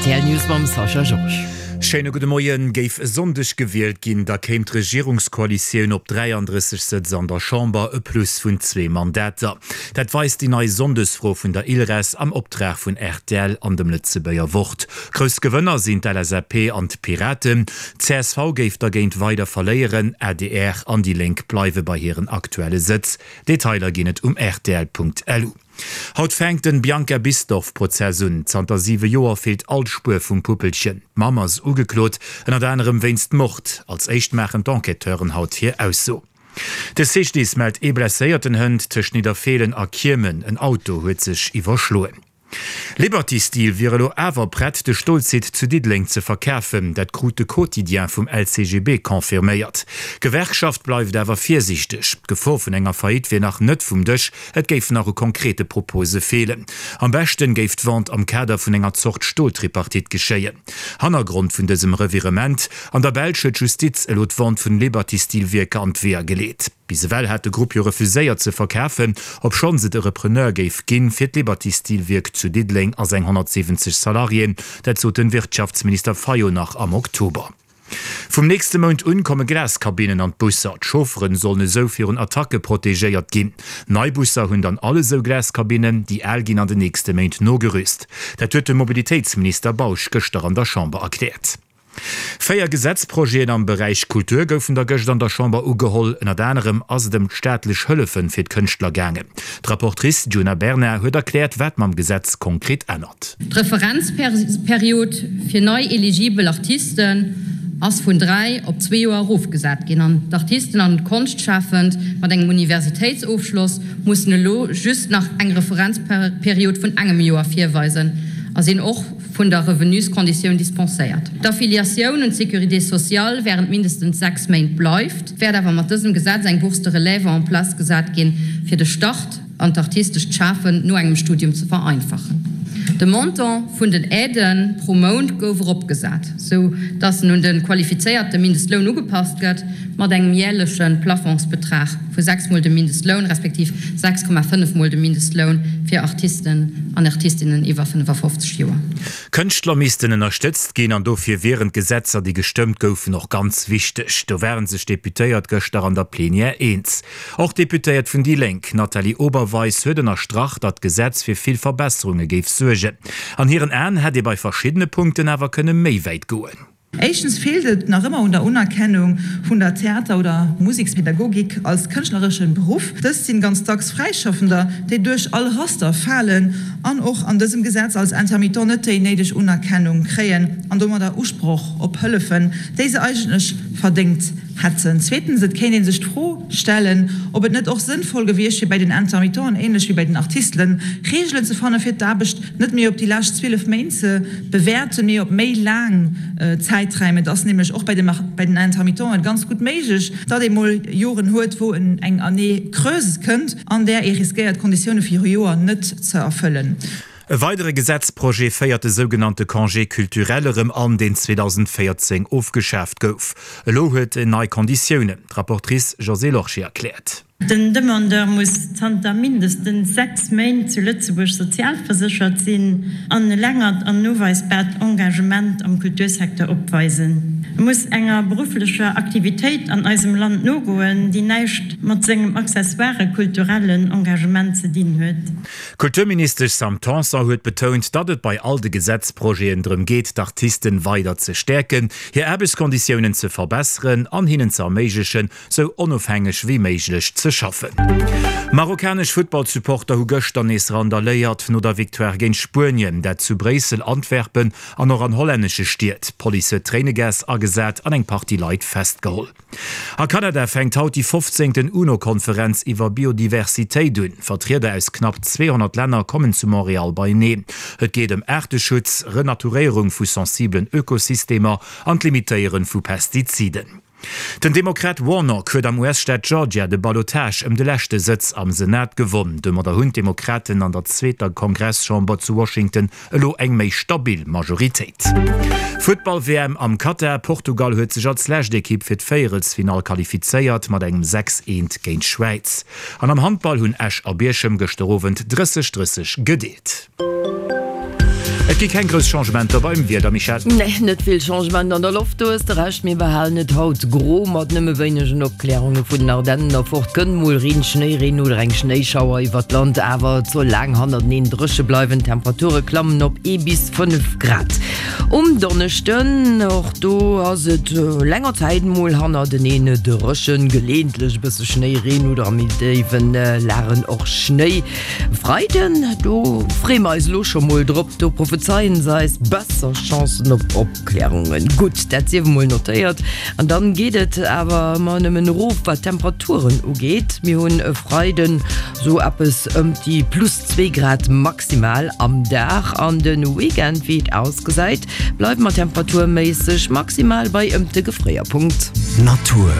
Rtl News mam Sascha Georges. Schéine gudde Moien. Géif e Sonndeg gewielt ginn, da kéim d'Regierungskoalitioun op 33 Sëtz an der Chamber, e Plus vun zwee Mandater. Dat weist déi nei Sonndesfro vun der ILRES am Optrag vun rtl an dem Lëtzebuerger Wort. Grouss Gewënner sinn d'LSAP an d'Piraten. Csv géif dergéint weider verléieren, adr an déi Lénk bleiwe bei hiren aktuelle Sëtz. Detailer ginn et um rtl.lu. Haut fänkt den Bianca Bisdorff Prozess un. Zanter 7 Joer feelt all Spuer vum Puppelchen. D'Mamm ass ugeklot, ënnert anerem wéinst Mord. Als éischt maachen d'Enquêteuren haut hir Ausso. De CGDIS mellt ee blesséierten Hënt tëscht Nidderfeelen a Kiemen. En Auto huet sech iwwerschloen. Liberty Steel wier elo awer prett, de Stolsite zu Diddeleng ze verkafen. Dat krut de Quotidien vum LCGB confirméiert. D'Gewerkschaft bleift awer virsiichteg. D'Gefor vun enger Faillite wier nach net vum Dësch. Et géif nach u konkrete Propose feelen. Am beschten géif d'Vente am Kader vun enger Zort Stoltripartite geschéien. Hannergrond vun dësem Revirement, An der Belsch huet d'Justiz elo d'Vente vun Liberty Steel Wierker an d'Weeër geleet. Bis ewell hat de Grupp jo refuséiert ze verkafen, obschonns et e Repreneur géif ginn fir d'Liberty Steel Wierk zu Diddeleng a seng 170 Salariéen. Dat sot den Wirtschaftsminister Fayot nach am Oktober. Vum nächste Mount un komme Glaskabinnen an d'Busser. D'Chaufferen sollen esou virun Attacke protegéiert ginn. Nei Busser hunn dann all esou Glaskabinnen, déi al ginn an den nächste Méint nogerüst. Dat huet de Mobilitéitsminister Bausch gëschter an der Chamber erkläert. 4 Gesetzprojeten am Beräich Kultur goufen da gëscht an der Chamber ugeholl. Ënnert anerem ass et ëm d'staatlech Hëllefe fir d'Kënschtler gaangen. D'Rapportrice Djuna Bernard huet erkläert, wat mam Gesetz konkret ännert. D'Referenzperiod fir nei eligibel Artisten ass vun 3 op zwee Joer erofgesat ginn an d'Artisten an Konschtschafend mat engem Universitéitsofschloss mussen elo just nach eng Referenzperiod vun engem Joer virweisen a sinn och vun der Revenuskonditioun dispenséiert. D'Affiliatioun un d'Sécurité sociale während mindestens 6 Méint bleift, wäert awer mat dësem Gesetz eng Bourse de relève en place gesat ginn, fir de Start an d'artistescht Schafen no engem Studium ze vereinfachen. De Montant vun den Aiden pro Mount gouf eropgesat, sou dass en un de qualifizéierte Mindestloun ugepasst gëtt, mat engem jäerleche Plafondsbetrag vu 6 mol dem Mindestloun, respektiv 6,5 mol dem Mindestloun fir Artisten an Artistinnen iwwer 55 Joer. Kënschtler missten ënnerstëtzt ginn an dofir wieren d'Gesetzer, déi gestëmmt goufen, och ganz wichteg. Do ware sech d'Deputéiert gëschter an der Plenière eens. Och d'Deputéiert vun déi Lénk, Nathalie Oberweis, huet ënnerstrach, datt d'Gesetz fir vill Verbesserunge géif suergen. An hiren Aen hätt ee bei verschiddene Punkten awer kënne méi wäit goen. Éischtens feelt et nach ëmmer un der Unerkennung vun der Theater oder Musekspädagogik als kënschtlereschen Beruff. Dëst sinn ganz dacks Fräischaffender, déi duerch all Raster falen an och an dësem Gesetz als Intermittent net déi néideg Unerkennung kréien an domadder Usproch op Hëllefen, déi se eigentlech verdéngt hätten. Zweetens, et kéint ee sech d'Fro stellen, ob et net och sënnvoll gewiescht wier, bäi den Intermittenten, ähnlech wéi bäi den Artistelen, Reegelen ze fannen, fir d'Aarbecht net méi op déi lescht 12 Méint ze bewäerten, mee op méi laang Zäiträim. Et ass nämlech och bäi den Intermittenten ganz gutt méiglech, datt ee mol Joren huet, wou eng Année creuse kënnt, an där ee riskéiert, d'Konditioune fir e Joer net ze erfëllen. E weidere Gesetzprojet féiert de sougenannte Congé culturel erëm an, deen 2014 ofgeschaaft gouf. Elo huet en nei Konditiounen. D'Rapportrice Josée Lorsché erkläert. Den Demandeur muss zanter mindestens 6 Méint zu Lëtzebuerg sozialverséchert sinn an e längert an noweisbaart Engagement am Kultursecteur opweisen. E muss enger berufflecher Aktivitéit an eisem Land nogoen, déi näischt mat sengem accessoire kulturellen Engagement ze dinn huet. D'Kulturministesch Sam Tanson huet betount, datt et bei all de Gesetzprojeten drëm geet, d'Artisten weider ze stäerken, hir Aarbechtskonditiounen ze verbesseren an hinnen ze erméiglechen, sou onofhängeg wéi méiglech ze schaffen. Marokkanesch Futtballsupporter hu gëschter nees randaléiert no der Victoire géint Spuenien, dat zu Bréissel, Antwerpen an och an hollännesche Stied. D'Police huet Tréinegas agesat an eng Partie Leit festgeholl. A Kanada fänkt haut déi 15. UNO-Konferenz iwwer Biodiversitéit un. Vertrieder aus knapp 200 Länner kommen zu Montreal beieneen. Et geet ëm Aarteschutz, Renaturéierung vu sensibelen Ökosystemer an d'Limitéiere vu Pestiziden. Den Demokrat Warnock huet am US-Staat Georgia de Ballotage ëm de leschte Sëtz am Senat gewonn. Domadder hunn d'Demokraten an der zweeter Kongresschamber zu Washington elo eng méi stabil Majoritéit. Futtball-WM am Katar, Portugal huet sech als lescht Ekipp fir d'Véierelsfinall qualifizéiert mat engem 6, 1 géint d'Schwäiz. An am Handball hunn Esch a Bierchem gëschter Owend 30, 30 gedeelt. Et gi keng grouss Changementer beim Wieder, Michèle. Nee, net vill Changement an der Loft, do hues de Recht. Mir behalen et haut gro mat nëmme wéinegen Opklärunge vun den Ardennen erfort. Kënnt mol Reen, Schnéireen oder eng Schnéischauer iwwert d'Land, awer et soll laang hannerteneen dréche bleiwen. D'Temperature klammen op ee bis 5 Grad. Um Donneschden, och do ass et länger Zäit mol hannerteneen dréchen, geleeëntlech e bësse Schnéi, Reen oder a méi déiwe Lagen och Schnéi. Freiden, do freeë mer eis elo scho mol drop, do prophezeien se eis besser Chancen op Opklärungen. Gutt, dat sief emol notéiert. An dann geet et awer ëmmer nëmmen erof, wat d'Temperaturen ugeet. Mir hunn e Freiden sou eppes ëmt déi plus 2 Grad maximal am Dag an de Weekend, wéi et ausgesäit, bleiwe mer temperaturméisseg maximal bei ëmt de Gefréierpunkt. Natur.